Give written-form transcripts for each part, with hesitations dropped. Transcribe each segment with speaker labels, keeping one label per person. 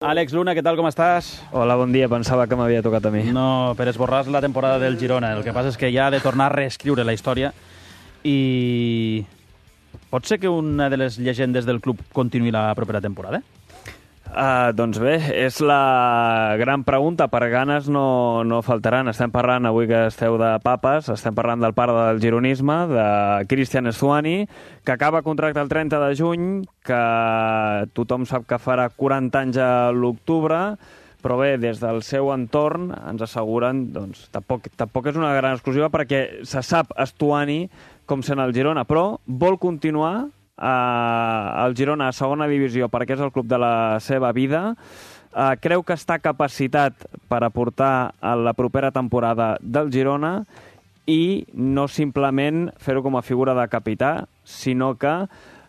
Speaker 1: Àlex Luna, què tal, com estàs?
Speaker 2: Hola, bon dia. Pensava que m'havia tocat a mi.
Speaker 1: No, per esborrar la temporada del Girona. El que passa és que ja ha de tornar a reescriure la història i pot ser que una de les llegendes del club continuï la propera temporada?
Speaker 2: Doncs bé, és la gran pregunta. Per ganes no faltaran. Estem parlant, avui que esteu de papes, estem parlant del pare del gironisme, de Cristian Stuani, que acaba contracte el 30 de juny, que tothom sap que farà 40 anys a l'octubre, però bé, des del seu entorn ens asseguren, doncs, tampoc és una gran exclusiva perquè se sap Stuani com sent el Girona, però vol continuar el Girona a segona divisió perquè és el club de la seva vida. Creu que està capacitat per aportar a la propera temporada del Girona i no simplement fer-ho com a figura de capità, sinó que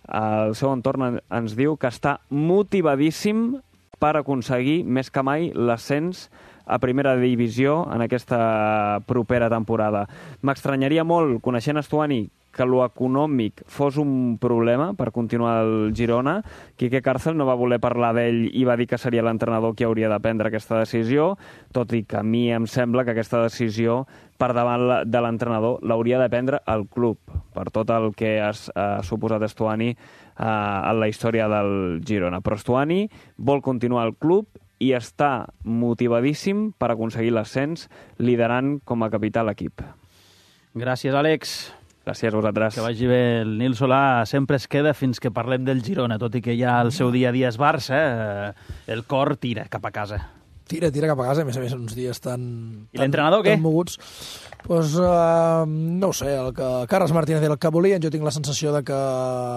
Speaker 2: el seu entorn ens diu que està motivadíssim per aconseguir més que mai l'ascens a primera divisió en aquesta propera temporada. M'estranyaria molt, coneixent Stuani, que lo econòmic fos un problema per continuar el Girona. Quique Cárcel no va voler parlar d'ell i va dir que seria l'entrenador qui hauria de prendre aquesta decisió, tot i que a mi em sembla que aquesta decisió per davant de l'entrenador l'hauria de prendre el club, per tot el que ha suposat Stuani en la història del Girona. Però Stuani vol continuar al club i està motivadíssim per aconseguir l'ascens, liderant com a capità l'equip.
Speaker 1: Gràcies, Àlex.
Speaker 2: Gràcies a vosaltres.
Speaker 1: Que vagi bé. El Nil Solà sempre es queda fins que parlem del Girona, tot i que ja el seu dia a dia és Barça, el cor tira cap a casa.
Speaker 3: Tira cap a casa, a més uns dies tan...
Speaker 1: I l'entrenador què?
Speaker 3: Tan moguts. Pues, no ho sé, el que Carles Martínez era el que volien. Jo tinc la sensació de que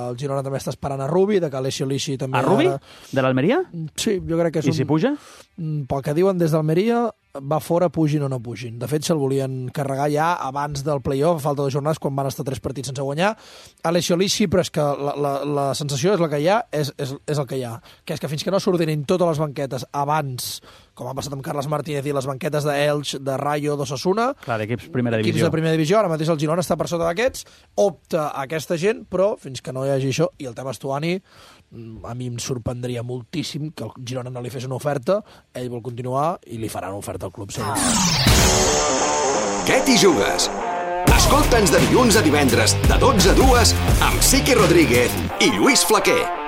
Speaker 3: el Girona també està esperant a Rubi, de que Alessio Lisci també...
Speaker 1: A Rubi? De l'Almeria?
Speaker 3: Sí, jo crec que és
Speaker 1: I si puja?
Speaker 3: Pel que diuen des d'Almeria, va fora, pugin o no pugin. De fet, se'l volien carregar ja abans del play-off, a falta de jornades, quan van estar 3 partits sense guanyar. Alessio Lisci, però és que la sensació és la que hi ha, és el que hi ha. Que és que fins que no s'ordinin totes les banquetes abans, com ha passat amb Carles Martínez i les banquetes d'Elx, de Rayo, d'Osasuna...
Speaker 1: Clar, d'equips primera divisió.
Speaker 3: Equips de primera divisió, ara mateix el Girona està per sota d'aquests, opta a aquesta gent, però fins que no hi hagi això, i el tema Stuani, a mi em sorprendria moltíssim que el Girona no li fes una oferta, ell vol continuar i li farà una oferta al club segur.
Speaker 4: Què t'hi jugues? Escolta'ns de dilluns a divendres de 12 a 2 amb Siqui Rodríguez i Lluís Flaquer.